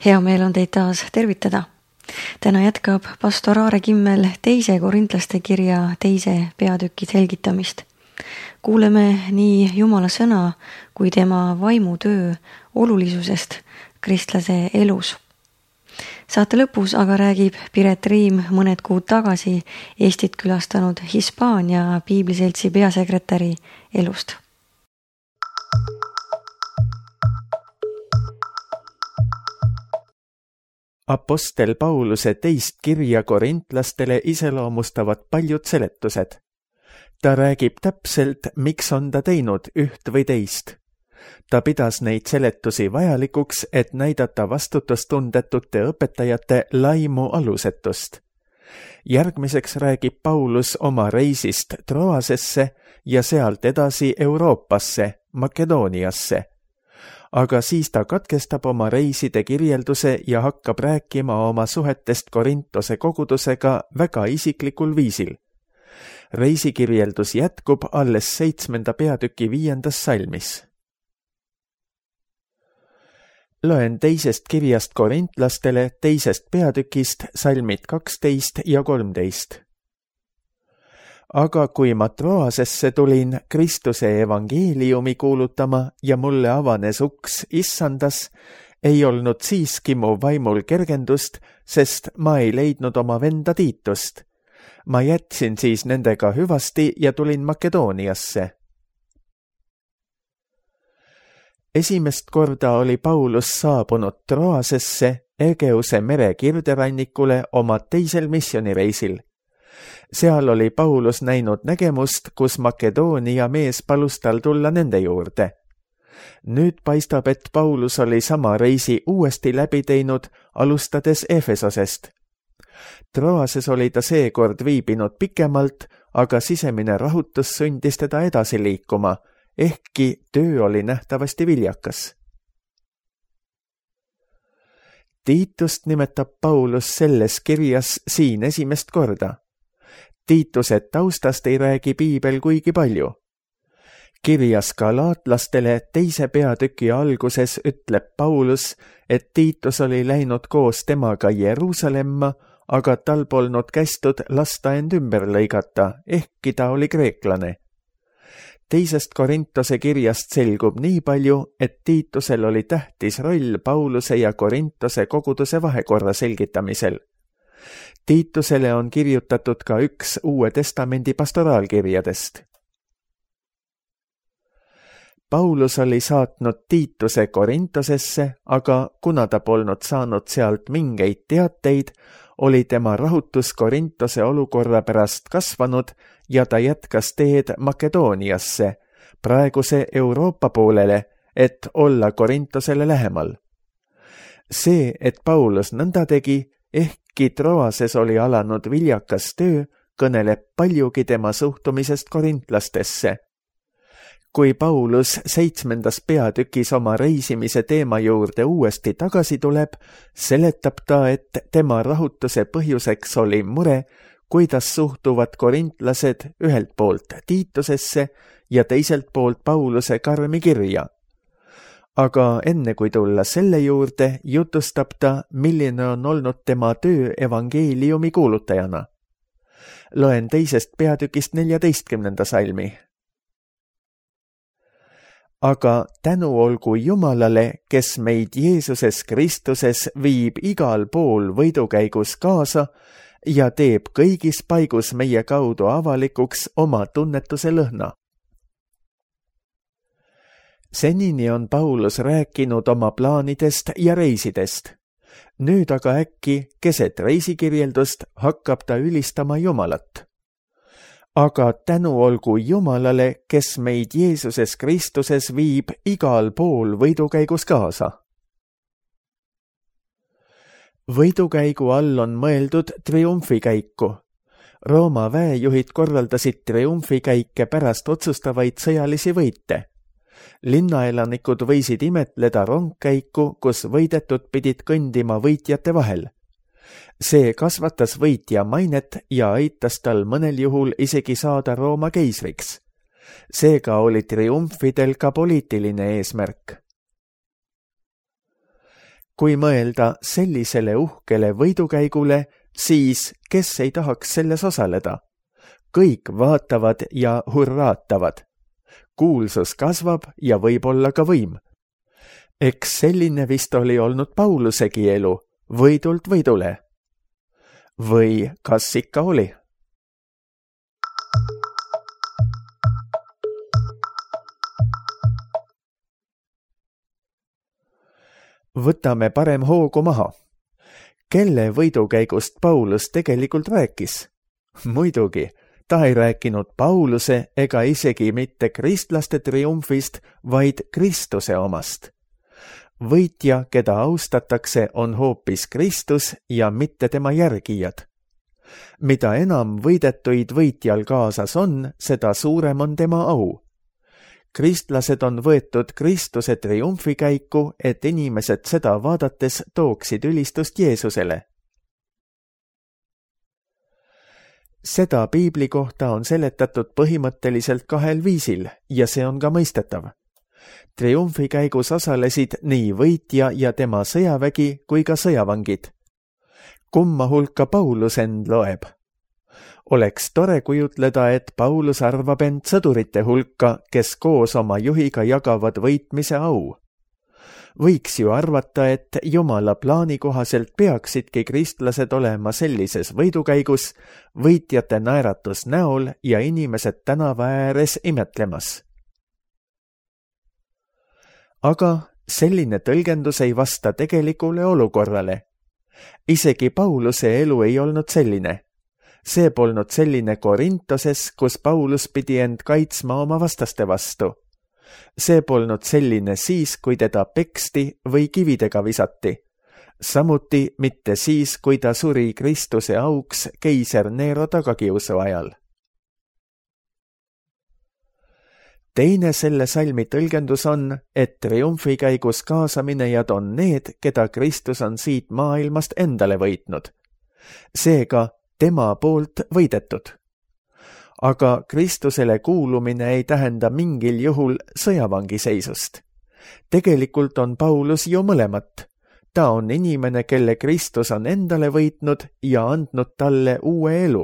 Hea meel on teid taas tervitada. Täna jätkab pastor Aare Kimmel 2. Korintlaste kirja 2. peatüki selgitamist. Kuuleme nii Jumala sõna kui tema vaimutöö olulisusest kristlase elus. Saate lõpus aga räägib Piret Riim mõned kuud tagasi Eestit külastanud Hispaania piibliseltsi peasekretäri elust. Apostel Pauluse teist kirja korintlastele iseloomustavad paljud seletused. Ta räägib täpselt, miks on ta teinud üht või teist. Ta pidas neid seletusi vajalikuks, et näidata vastutustundetute õpetajate laimu alusetust. Järgmiseks räägib Paulus oma reisist Troasesse ja sealt edasi Euroopasse, Makedooniasse. Aga siis ta katkestab oma reiside kirjelduse ja hakkab rääkima oma suhetest Korintose kogudusega väga isiklikul viisil. Reisikirjeldus jätkub alles 7. peatüki 5. salmis. Loen 2. kirjast korintlastele 2. peatükist salmid 12 ja 13. Aga kui ma Troasesse tulin Kristuse evangeeliumi kuulutama ja mulle avanes uks issandas, ei olnud siiski mu vaimul kergendust, sest ma ei leidnud oma venda Tiitust. Ma jätsin siis nendega hüvasti ja tulin Makedooniasse. Esimest korda oli Paulus saabunud Troasesse Egeuse mere kirderannikule oma teisel missioonireisil. Seal oli Paulus näinud nägemust, kus Makedoonia mees palus tal tulla nende juurde. Nüüd paistab, et Paulus oli sama reisi uuesti läbi teinud, alustades Efesosest. Troases oli ta seekord viibinud pikemalt, aga sisemine rahutus sundis teda edasi liikuma, ehkki töö oli nähtavasti viljakas. Tiitust nimetab Paulus selles kirjas siin esimest korda. Tiituse taustast ei räägi piibel kuigi palju. Kirjas galaatlastele 2. peatüki alguses ütleb Paulus, et Tiitus oli läinud koos temaga Jeruusalemma, aga tal polnud kästud lasta end ümber lõigata, ehkki ta oli kreeklane. 2. Korintose kirjast selgub nii palju, et Tiitusel oli tähtis roll Pauluse ja Korintose koguduse vahekorra selgitamisel. Tiitusele on kirjutatud ka üks Uue Testamendi pastoraalkirjadest. Paulus oli saatnud Tiituse Korintosesse, aga kuna ta polnud saanud sealt mingeid teateid, oli tema rahutus Korintose olukorra pärast kasvanud ja ta jätkas teed Makedooniasse, praeguse Euroopa poolele, et olla Korintosele lähemal. See, et Paulus nõnda tegi, ehkki Troases oli alanud viljakas töö, kõneleb paljugi tema suhtumisest korintlastesse. Kui Paulus 7. peatükis oma reisimise teema juurde uuesti tagasi tuleb, seletab ta, et tema rahutuse põhjuseks oli mure, kuidas suhtuvad korintlased ühelt poolt Tiitusesse ja teiselt poolt Pauluse karmi kirja. Aga enne kui tulla selle juurde, jutustab ta, milline on olnud tema töö evangeeliumi kuulutajana. Loen 2. peatükist 14. salmi. Aga tänu olgu Jumalale, kes meid Jeesuses Kristuses viib igal pool võidukäigus kaasa ja teeb kõigis paigus meie kaudu avalikuks oma tunnetuse lõhna. Senini on Paulus rääkinud oma plaanidest ja reisidest. Nüüd aga äkki keset reisikirjeldust hakkab ta ülistama Jumalat. Aga tänu olgu Jumalale, kes meid Jeesuses Kristuses viib igal pool võidukäigus kaasa. Võidukäigu all on mõeldud triumfikäiku. Rooma väejuhid korraldasid triumfikäike pärast otsustavaid sõjalisi võite. Linnaelanikud võisid imetleda rongkäiku, kus võidetud pidid kõndima võitjate vahel. See kasvatas võitja mainet ja aitas tal mõnel juhul isegi saada Rooma keisriks. Seega oli triumfidel ka poliitiline eesmärk. kui mõelda sellisele uhkele võidukäigule, siis kes ei tahaks selles osaleda? Kõik vaatavad ja hurraatavad. Kuulsus kasvab ja võib-olla ka võim. Eks selline vist oli olnud Paulusegi elu, võidult võidule. Või kas ikka oli? Võtame parem hoogu maha. Kelle võidukäigust Paulus tegelikult rääkis? Muidugi, ta ei rääkinud Pauluse ega isegi mitte kristlaste triumfist, vaid Kristuse omast. Võitja, keda austatakse, on hoopis Kristus ja mitte tema järgijad. Mida enam võidetuid võitjal kaasas on, seda suurem on tema au. Kristlased on võetud Kristuse triumfikäiku, et inimesed seda vaadates tooksid ülistust Jeesusele. Seda piibli kohta on seletatud põhimõtteliselt 2 viisil ja see on ka mõistetav. Triumfikäigus osalesid nii võitja ja tema sõjavägi kui ka sõjavangid. Kumma hulka Paulus end loeb? Oleks tore kujutleda, et Paulus arvab end sõdurite hulka, kes koos oma juhiga jagavad võitmise au. Võiks ju arvata, et Jumala plaani kohaselt peaksidki kristlased olema sellises võidukäigus, võitjate naeratus näol ja inimesed tänava ääres imetlemas. Aga selline tõlgendus ei vasta tegelikule olukorrale. Isegi Pauluse elu ei olnud selline. See polnud selline Korintoses, kus Paulus pidi end kaitsma oma vastaste vastu. See polnud selline siis, kui teda peksti või kividega visati. Samuti mitte siis, kui ta suri Kristuse auks keiser Nero tagakiusu ajal. Teine selle salmi tõlgendus on, et triumfikäigus kaasaminejad on need, keda Kristus on siit maailmast endale võitnud. Seega tema poolt võidetud. Aga Kristusele kuulumine ei tähenda mingil juhul sõjavangiseisust. Tegelikult on Paulus ju mõlemat. Ta on inimene, kelle Kristus on endale võitnud ja andnud talle uue elu.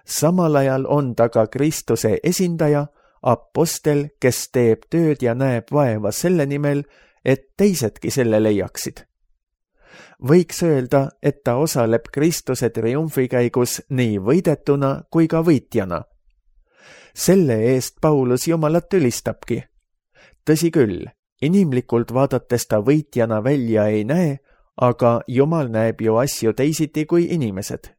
Samal ajal on ta ka Kristuse esindaja, apostel, kes teeb tööd ja näeb vaeva selle nimel, et teisedki selle leiaksid. Võiks öelda, et ta osaleb Kristuse triumfikäigus nii võidetuna kui ka võitjana. Selle eest Paulus Jumalat ülistabki. Tõsi küll, inimlikult vaadates ta võitjana välja ei näe, aga Jumal näeb ju asju teisiti kui inimesed.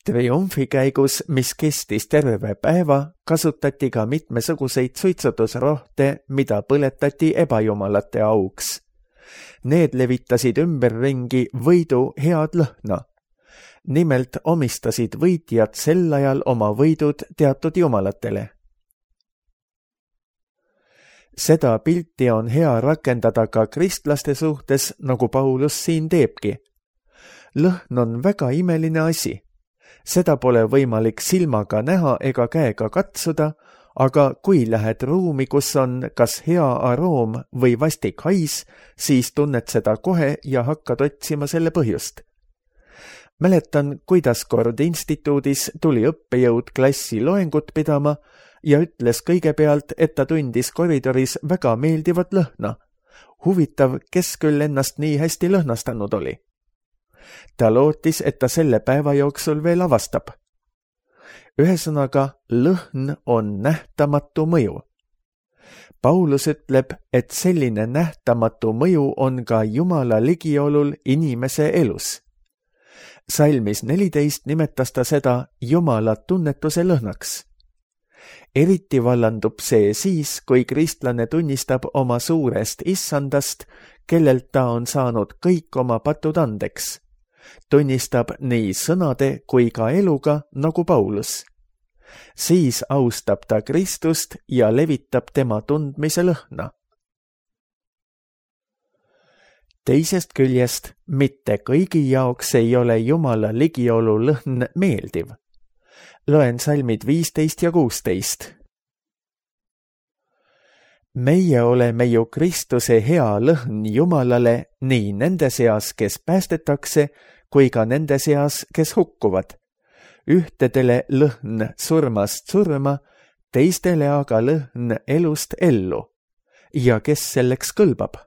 Triumfikäigus, mis kestis terve päeva, kasutati ka mitmesuguseid suitsutusrohte, mida põletati ebajumalate auks. Need levitasid ümberringi võidu head lõhna. Nimelt omistasid võitjad sel ajal oma võidud teatud jumalatele. Seda pilti on hea rakendada ka kristlaste suhtes, nagu Paulus siin teebki. Lõhn on väga imeline asi. Seda pole võimalik silmaga näha ega käega katsuda, aga kui lähed ruumi, kus on kas hea aroom või vastik hais, siis tunned seda kohe ja hakkad otsima selle põhjust. Mäletan, kuidas kord instituudis tuli õppejõud klassi loengut pidama ja ütles kõigepealt, et ta tundis koridoris väga meeldivat lõhna. Huvitav, kes küll ennast nii hästi lõhnastanud oli. Ta lootis, et ta selle päeva jooksul veel avastab. Ühesõnaga, lõhn on nähtamatu mõju. Paulus ütleb, et selline nähtamatu mõju on ka Jumala ligiolul inimese elus. Salmis 14 nimetas ta seda Jumala tunnetuse lõhnaks. Eriti vallandub see siis, kui kristlane tunnistab oma suurest issandast, kellelt ta on saanud kõik oma patud andeks. Tunnistab nii sõnade kui ka eluga, nagu Paulus. Siis austab ta Kristust ja levitab tema tundmise lõhna. Teisest küljest, mitte kõigi jaoks ei ole Jumala ligiolu lõhn meeldiv. Loen salmid 15 ja 16. meie oleme ju Kristuse hea lõhn Jumalale nii nende seas, kes päästetakse, kui ka nende seas, kes hukkuvad. Ühtedele lõhn surmast surma, teistele aga lõhn elust ellu. Ja kes selleks kõlbab?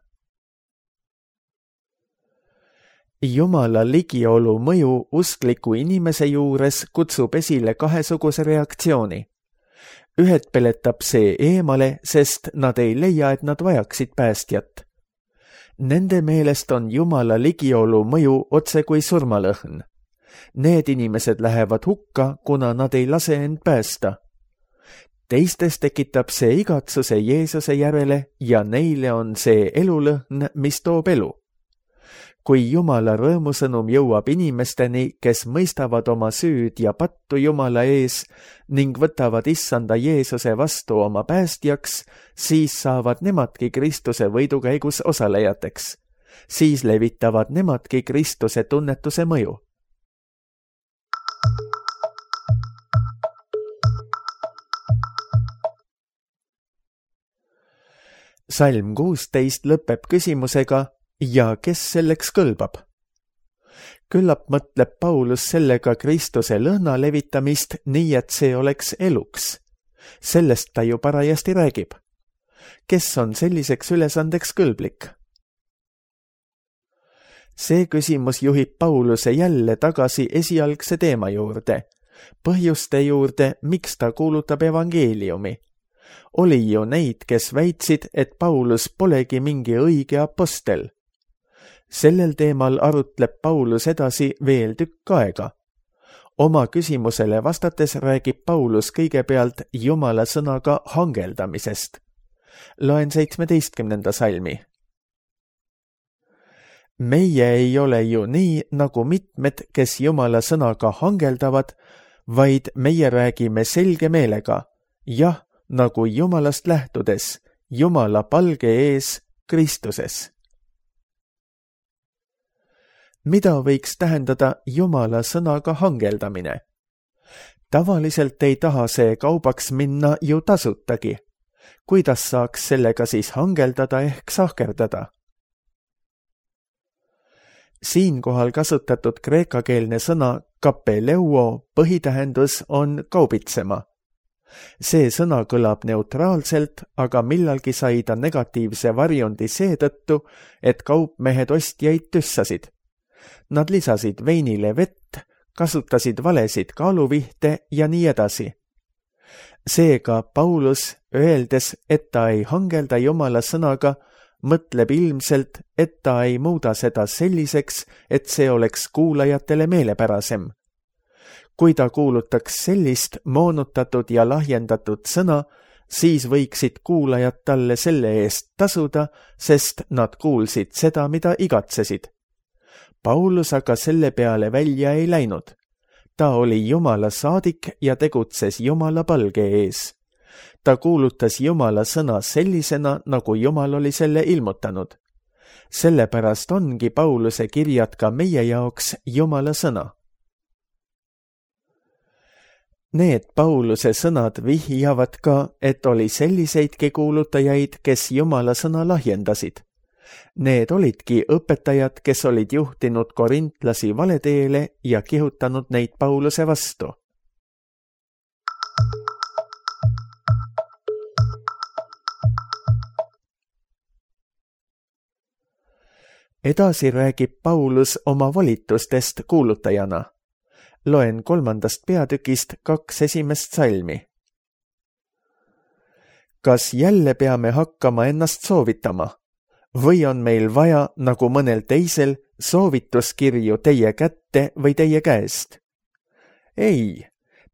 Jumala ligiolu mõju uskliku inimese juures kutsub esile kahesuguse reaktsiooni. Ühed peletab see eemale, sest nad ei leia, et nad vajaksid päästjat. Nende meelest on Jumala ligiolu mõju otse kui surmalõhn. Need inimesed lähevad hukka, kuna nad ei lase end päästa. Teistes tekitab see igatsuse Jeesuse järele ja neile on see elulõhn, mis toob elu. Kui Jumala rõõmusõnum jõuab inimesteni, kes mõistavad oma süüd ja pattu Jumala ees ning võtavad issanda Jeesuse vastu oma päästjaks, siis saavad nemadki Kristuse võidukäigus osalejateks. Siis levitavad nemadki Kristuse tunnetuse mõju. Salm 16 lõpeb küsimusega, ja kes selleks kõlbab? Küllap mõtleb Paulus sellega Kristuse lõhna levitamist nii, et see oleks eluks. Sellest ta ju parajasti räägib. Kes on selliseks ülesandeks kõlblik? See küsimus juhib Pauluse jälle tagasi esialgse teema juurde, põhjuste juurde, miks ta kuulutab evangeeliumi. Oli ju neid, kes väitsid, et Paulus polegi mingi õige apostel. Sellel teemal arutleb Paulus edasi veel tükk aega. Oma küsimusele vastates räägib Paulus kõigepealt Jumala sõnaga hangeldamisest. Loen 17. salmi. Meie ei ole ju nii, nagu mitmed, kes Jumala sõnaga hangeldavad, vaid meie räägime selge meelega, jah, nagu Jumalast lähtudes, Jumala palge ees Kristuses. Mida võiks tähendada Jumala sõnaga hangeldamine? Tavaliselt ei taha see kaubaks minna ju tasutagi. Kuidas saaks sellega siis hangeldada ehk sahkerdada? Siinkohal kasutatud kreekakeelne sõna kapeleuo põhitähendus on kaubitsema. See sõna kõlab neutraalselt, aga millalgi sai ta negatiivse varjundi seetõttu, et kaupmehed ostjaid tüssasid. Nad lisasid veinile vett, kasutasid valesid kaaluvihte ja nii edasi. Seega Paulus, öeldes, et ta ei hangelda Jumala sõnaga, mõtleb ilmselt, et ta ei muuda seda selliseks, et see oleks kuulajatele meelepärasem. Kui ta kuulutaks sellist moonutatud ja lahjendatud sõna, siis võiksid kuulajad talle selle eest tasuda, sest nad kuulsid seda, mida igatsesid. Paulus aga selle peale välja ei läinud. Ta oli Jumala saadik ja tegutses Jumala palge ees. Ta kuulutas Jumala sõna sellisena, nagu Jumal oli selle ilmutanud. Sellepärast ongi Pauluse kirjad ka meie jaoks Jumala sõna. Need Pauluse sõnad vihjavad ka, et oli selliseidki kuulutajaid, kes Jumala sõna lahjendasid. Need olidki õpetajad, kes olid juhtinud korintlasi valeteele ja kihutanud neid Pauluse vastu. Edasi räägib Paulus oma volitustest kuulutajana. Loen 3. peatükist 2 esimest salmi. Kas jälle peame hakkama ennast soovitama? Või on meil vaja, nagu mõnel teisel, soovituskirju teie kätte või teie käest? Ei,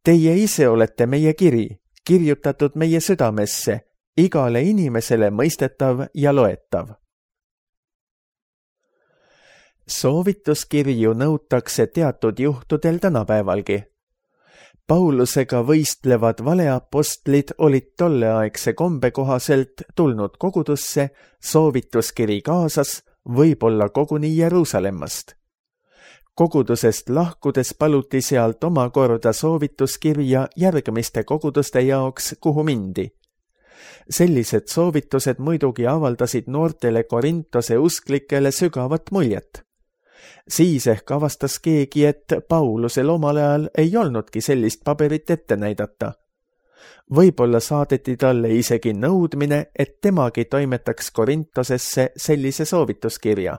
teie ise olete meie kiri, kirjutatud meie südamesse, igale inimesele mõistetav ja loetav. Soovituskirju nõutakse teatud juhtudel tänapäevalgi. Paulusega võistlevad valeapostlid olid tolleaegse kombe kohaselt tulnud kogudusse soovituskiri kaasas, võib-olla koguni Jeruusalemmast. Kogudusest lahkudes paluti sealt omakorda soovituskirja järgmiste koguduste jaoks, kuhu mindi. Sellised soovitused muidugi avaldasid noortele Korintose usklikele sügavat muljet. Siis ehk avastas keegi, et Paulusel omal ajal ei olnudki sellist paberit ette näidata. Võib-olla saadeti talle isegi nõudmine, et temagi toimetaks Korintosesse sellise soovituskirja.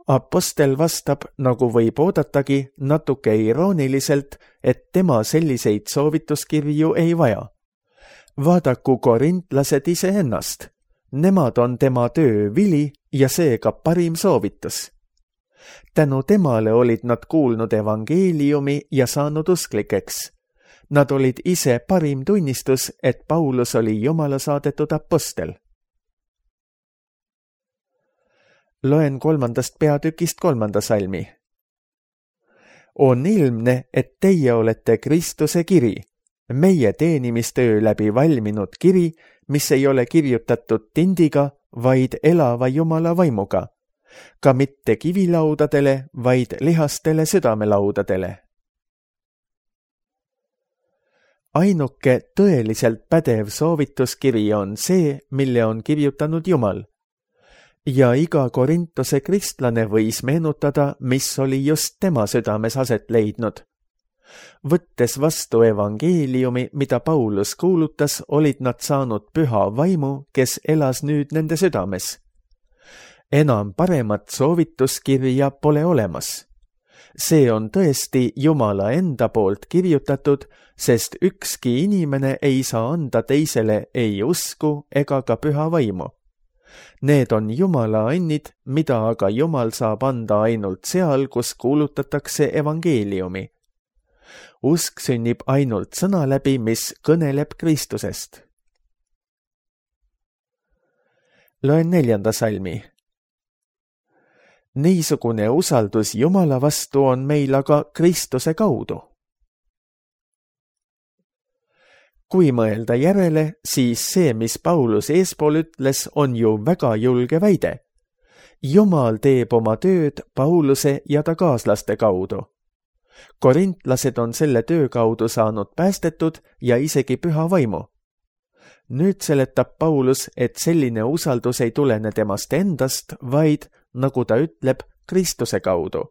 Apostel vastab, nagu võib oodatagi, natuke irooniliselt, et tema selliseid soovituskirju ei vaja. Vaadaku korintlased iseennast. Nemad on tema töö vili ja seega parim soovitus. Tänu temale olid nad kuulnud evangeeliumi ja saanud usklikeks. Nad olid ise parim tunnistus, et Paulus oli Jumala saadetud apostel. Loen 3. peatükist 3. salmi. On ilmne, et teie olete Kristuse kiri, meie teenimistöö läbi valminud kiri, mis ei ole kirjutatud tindiga, vaid elava Jumala vaimuga, ka mitte kivilaudadele, vaid lihastele südamelaudadele. Ainuke tõeliselt pädev soovituskiri on see, mille on kirjutanud Jumal. Ja iga Korintose kristlane võis meenutada, mis oli just tema südames aset leidnud. Võttes vastu evangeeliumi, mida Paulus kuulutas, olid nad saanud püha vaimu, kes elas nüüd nende südames. Enam paremat soovituskirja pole olemas. See on tõesti Jumala enda poolt kirjutatud, sest ükski inimene ei saa anda teisele ei usku ega ka püha vaimu. Need on Jumala annid, mida aga Jumal saab anda ainult seal, kus kuulutatakse evangeeliumi. Usk sünnib ainult sõna läbi, mis kõneleb Kristusest. Loen 4. salmi. Niisugune usaldus Jumala vastu on meil aga Kristuse kaudu. Kui mõelda järele, siis see, mis Paulus eespool ütles, on ju väga julge väide. Jumal teeb oma tööd Pauluse ja ta kaaslaste kaudu. Korintlased on selle töö kaudu saanud päästetud ja isegi püha vaimu. Nüüd seletab Paulus, et selline usaldus ei tulene temast endast, vaid, nagu ta ütleb, Kristuse kaudu.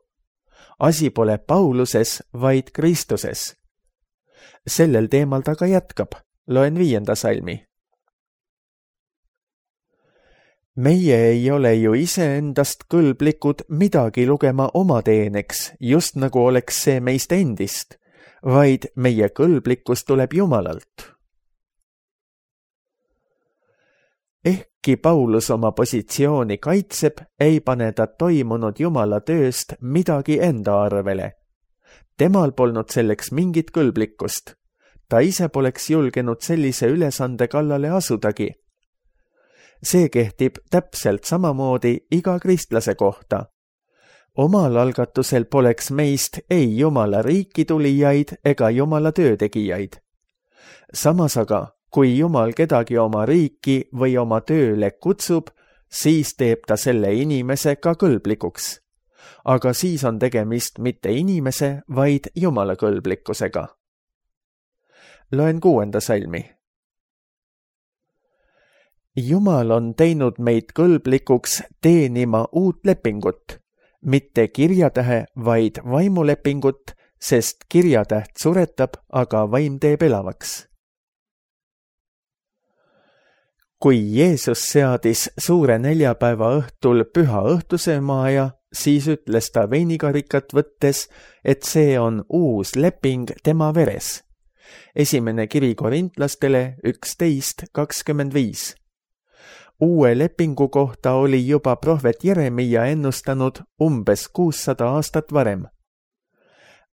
Asi pole Pauluses, vaid Kristuses. Sellel teemal ta ka jätkab. Loen 5. salmi. Meie ei ole ju iseendast kõlblikud midagi lugema oma teeneks, just nagu oleks see meist endist, vaid meie kõlblikkus tuleb Jumalalt. Ehkki Paulus oma positsiooni kaitseb, ei pane ta toimunud Jumala tööst midagi enda arvele. Temal polnud selleks mingit kõlblikkust. Ta ise poleks julgenud sellise ülesande kallale asudagi. See kehtib täpselt samamoodi iga kristlase kohta. Omal algatusel poleks meist ei Jumala riiki tulijaid ega Jumala töötegijaid. Samas aga, kui Jumal kedagi oma riiki või oma tööle kutsub, siis teeb ta selle inimese ka kõlblikuks. Aga siis on tegemist mitte inimese, vaid Jumala kõlblikkusega. Loen 6. salmi. Jumal on teinud meid kõlblikuks teenima uut lepingut, mitte kirjatähe, vaid vaimulepingut, sest kirjatäht suretab, aga vaim teeb elavaks. Kui Jeesus seadis suure neljapäeva õhtul püha õhtusöömaaja, siis ütles ta veinikarikat võttes, et see on uus leping tema veres. Esimene kiri korintlastele 11:25. Uue lepingu kohta oli juba prohvet Jeremia ennustanud umbes 600 aastat varem.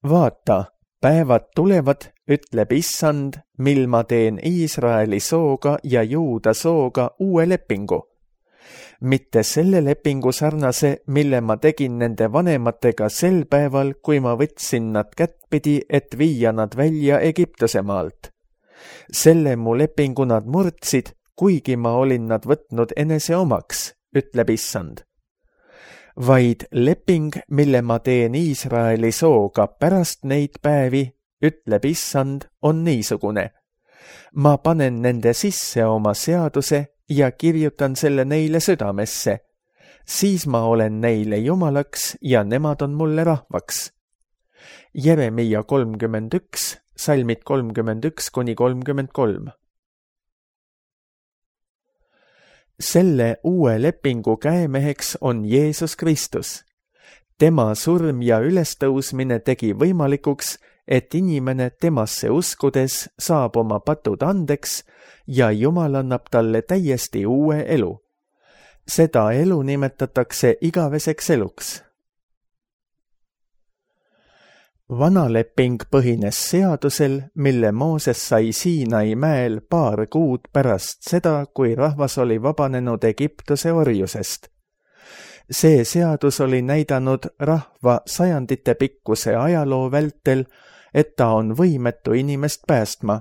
Vaata, päevad tulevad, ütleb Issand, mil ma teen Iisraeli sooga ja Juuda sooga uue lepingu. Mitte selle lepingu sarnase, mille ma tegin nende vanematega sel päeval, kui ma võtsin nad kättpidi, et viia nad välja Egiptuse maalt. Selle mu lepingu nad murdsid, kuigi ma olin nad võtnud enese omaks, ütleb Issand. Vaid leping, mille ma teen Iisraeli sooga pärast neid päevi, ütleb Issand, on niisugune. ma panen nende sisse oma seaduse ja kirjutan selle neile südamesse. Siis ma olen neile Jumalaks ja nemad on mulle rahvaks. Jeremiia 31, salmid 31–33. Selle uue lepingu käemeheks on Jeesus Kristus. Tema surm ja ülestõusmine tegi võimalikuks, et inimene temasse uskudes saab oma patud andeks ja Jumal annab talle täiesti uue elu. Seda elu nimetatakse igaveseks eluks. Vana leping põhines seadusel, mille Mooses sai Siinai mäel paar kuud pärast seda, kui rahvas oli vabanenud Egiptuse orjusest. See seadus oli näidanud rahva sajandite pikkuse ajaloo vältel, et ta on võimetu inimest päästma.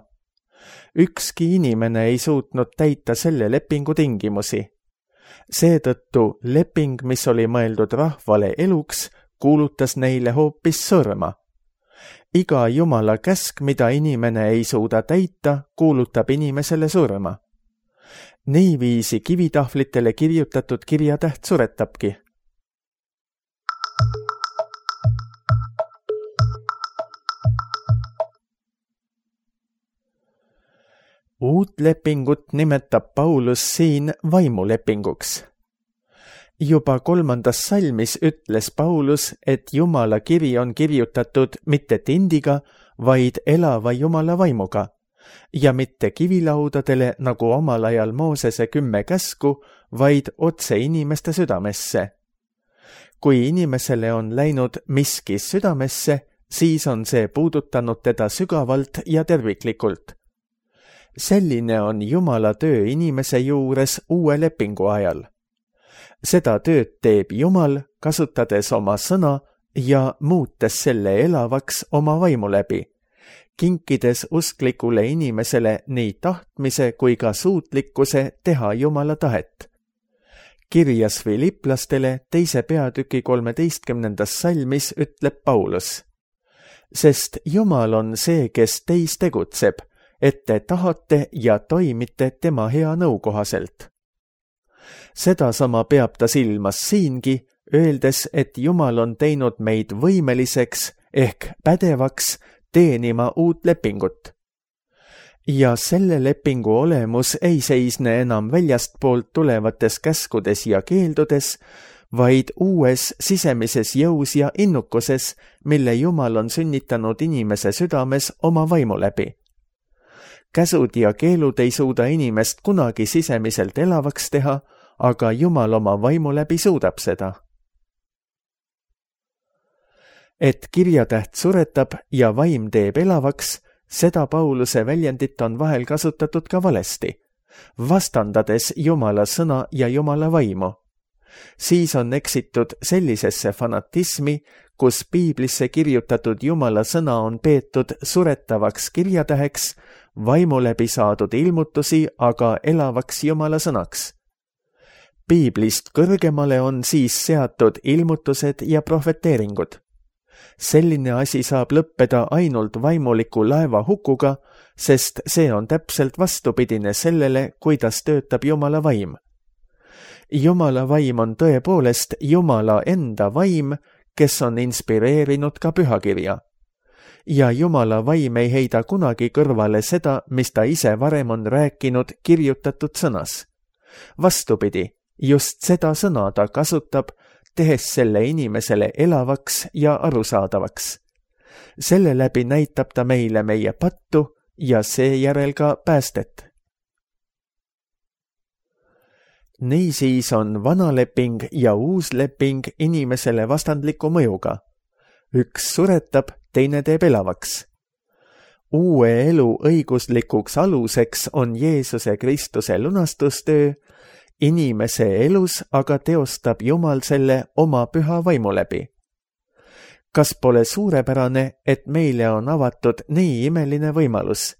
Ükski inimene ei suutnud täita selle lepingu tingimusi. Seetõttu leping, mis oli mõeldud rahvale eluks, kuulutas neile hoopis surma. Iga Jumala käsk, mida inimene ei suuda täita, kuulutab inimesele surma. Niiviisi kivitahvlitele kirjutatud kirjatäht suretabki. Uut lepingut nimetab Paulus siin vaimulepinguks. Juba 3. salmis ütles Paulus, et Jumala kiri on kirjutatud mitte tindiga, vaid elava Jumala vaimuga ja mitte kivilaudadele nagu omal ajal Moosese 10 käsku, vaid otse inimeste südamesse. Kui inimesele on läinud miski südamesse, siis on see puudutanud teda sügavalt ja terviklikult. Selline on Jumala töö inimese juures uue lepingu ajal. Seda tööd teeb Jumal, kasutades oma sõna ja muutes selle elavaks oma vaimu läbi, kinkides usklikule inimesele nii tahtmise kui ka suutlikkuse teha Jumala tahet. Kirjas Filiplastele 2. peatüki 13. salmis ütleb Paulus: sest Jumal on see, kes teis tegutseb, et te tahate ja toimite tema hea nõu kohaselt. Sedasama peab ta silmas siingi, öeldes, et Jumal on teinud meid võimeliseks ehk pädevaks teenima uut lepingut. Ja selle lepingu olemus ei seisne enam väljastpoolt tulevates käskudes ja keeldudes, vaid uues sisemises jõus ja innukuses, mille Jumal on sünnitanud inimese südames oma vaimu läbi. Käsud ja keelud ei suuda inimest kunagi sisemiselt elavaks teha, aga Jumal oma vaimu läbi suudab seda. Et kirjatäht suretab ja vaim teeb elavaks, seda Pauluse väljendit on vahel kasutatud ka valesti, vastandades Jumala sõna ja Jumala vaimu. Siis on eksitud sellisesse fanatismi, kus piiblisse kirjutatud Jumala sõna on peetud suretavaks kirjatäheks, vaimu läbi saadud ilmutusi aga elavaks Jumala sõnaks. Piiblist kõrgemale on siis seatud ilmutused ja prohveteeringud. Selline asi saab lõppeda ainult vaimuliku laeva hukuga, sest see on täpselt vastupidine sellele, kuidas töötab Jumala vaim. Jumala vaim on tõepoolest Jumala enda vaim, kes on inspireerinud ka pühakirja. Ja Jumala vaim ei heida kunagi kõrvale seda, mis ta ise varem on rääkinud kirjutatud sõnas. Vastupidi, just seda sõna ta kasutab, tehes selle inimesele elavaks ja arusaadavaks. Selle läbi näitab ta meile meie pattu ja seejärel ka päästet. Niisiis on vana leping ja uus leping inimesele vastandliku mõjuga. Üks suretab, teine teeb elavaks. Uue elu õiguslikuks aluseks on Jeesuse Kristuse lunastustöö, inimese elus aga teostab Jumal selle oma püha vaimu läbi. Kas pole suurepärane, et meile on avatud nii imeline võimalus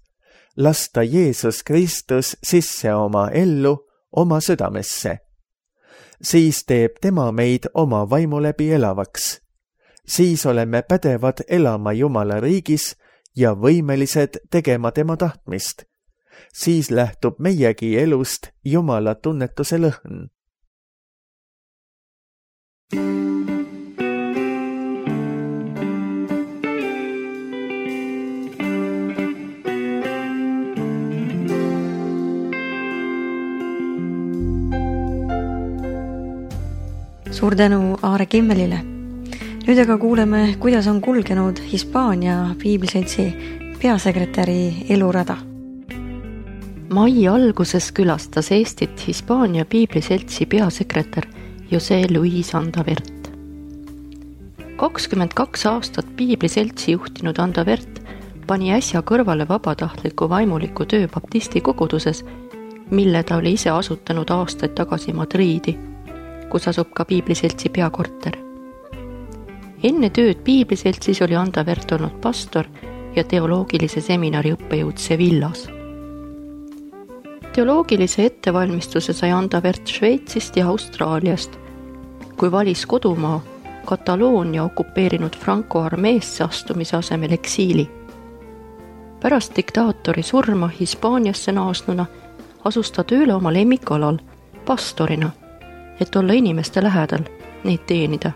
lasta Jeesus Kristus sisse oma ellu, oma südamesse? Siis teeb tema meid oma vaimu läbi elavaks. Siis oleme pädevad elama Jumala riigis ja võimelised tegema tema tahtmist. siis lähtub meiegi elust Jumala tunnetuse lõhn. Suur tänu Aare Kimmelile. Nüüd aga kuuleme, kuidas on kulgenud Hispaania Piibliseltsi peasekretäri elurada. Mai alguses külastas Eestit Hispaania Piibliseltsi peasekretär José Luis Andavert. 22 aastat Piibliseltsi juhtinud Andavert pani äsja kõrvale vabatahtliku vaimuliku töö baptisti koguduses, mille ta oli ise asutanud aastaid tagasi Madriidi, kus asub ka Piibliseltsi peakorter. Enne tööd Piibliseltsis oli Andavert olnud pastor ja teoloogilise seminari õppejõud Sevillas. Teoloogilise ettevalmistuse sai Andavert Šveitsist ja Austraaliast, kui valis kodumaa Kataloonia okupeerinud Franco armeesse astumise asemel eksiili. Pärast diktaatori surma Hispaaniasse naasnuna asus ta tööle oma lemmikalal pastorina, et olla inimeste lähedal, neid teenida.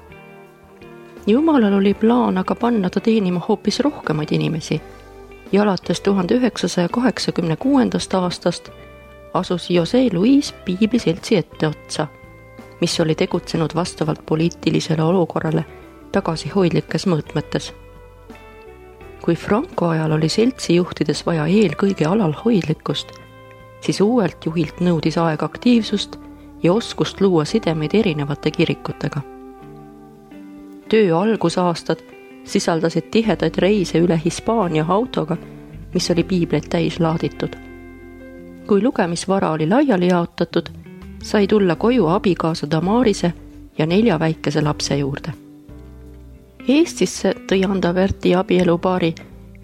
Jumalal oli plaan aga panna ta teenima hoopis rohkemaid inimesi ja alates 1986. aastast asus José Luis Piibliseltsi etteotsa, mis oli tegutsenud vastavalt poliitilisele olukorrale tagasihoidlikes mõõtmetes. Kui Franco ajal oli seltsi juhtides vaja eelkõige alalhoidlikkust, siis uuelt juhilt nõudis aeg aktiivsust ja oskust luua sidemeid erinevate kirikutega. Töö algusaastad sisaldasid tihedaid reise üle Hispaania autoga, mis oli piibleid täis laaditud. Kui lugemisvara oli laiali jaotatud, sai tulla koju abikaasa Damarise ja 4 väikese lapse juurde. Eestisse tõi Andaverti abielupaari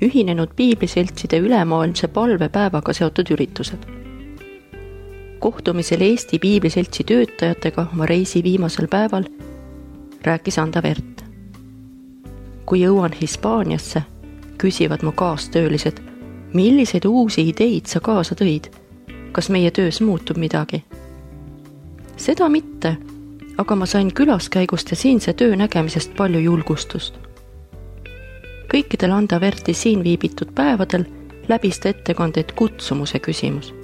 ühinenud piibliseltside ülemaailmse palvepäevaga seotud üritused. Kohtumisel Eesti Piibliseltsi töötajatega oma reisi viimasel päeval rääkis Andavert. Kui jõuan Hispaaniasse, küsivad mu kaastöölised, milliseid uusi ideid sa kaasa tõid, kas meie töös muutub midagi? Seda mitte, aga ma sain külaskäigust ja siinse töö nägemisest palju julgustust. Kõikidel Andaverti siin viibitud päevadel läbis ta ettekandeid kutsumuse küsimus.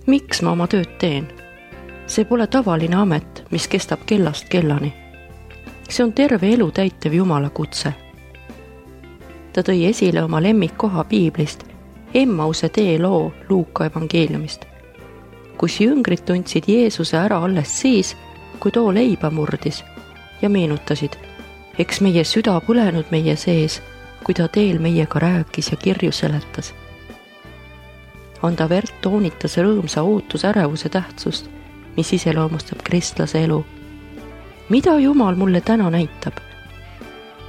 Miks ma oma tööd teen? See pole tavaline amet, mis kestab kellast kellani. See on terve elu täitev Jumala kutse. Ta tõi esile oma lemmikkoha piiblist, Emmause tee loo Luuka evangeeliumist, kus jüngrid tundsid Jeesuse ära alles siis, kui too leiba murdis ja meenutasid, eks meie süda põlenud meie sees, kui ta teel meiega rääkis ja kirju seletas. Andavert toonitas rõõmsa ootusärevuse tähtsust, mis iseloomustab kristlase elu. Mida Jumal mulle täna näitab?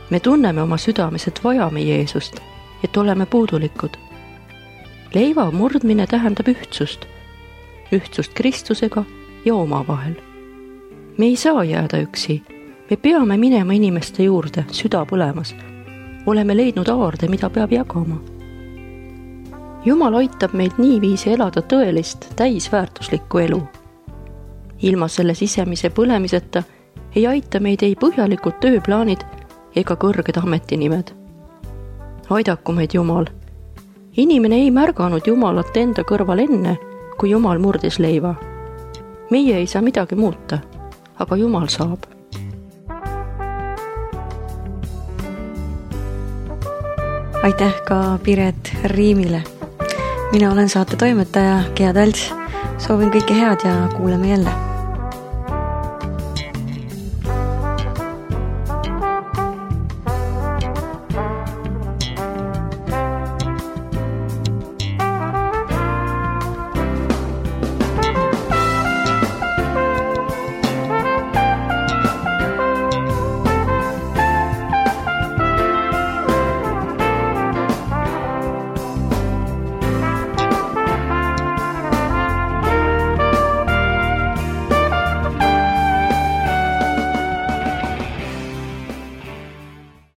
Me tunneme oma südames, et vajame Jeesust, et oleme puudulikud. Leiva murdmine tähendab ühtsust Kristusega ja omavahel. Me ei saa jääda üksi, me peame minema inimeste juurde, süda põlemas. Oleme leidnud aarde, mida peab jagama. Jumal aitab meid niiviisi elada tõelist, täisväärtuslikku elu. Ilma selle sisemise põlemiseta ei aita meid ei põhjalikud tööplaanid ega kõrged ametinimed. Aidaku meid Jumal. Inimene ei märganud Jumalat enda kõrval enne, kui Jumal murdis leiva. Meie ei saa midagi muuta, aga Jumal saab. Aitäh ka Piret Riimile. Mina olen saate toimetaja Gea Talts. Soovin kõike head ja kuuleme jälle.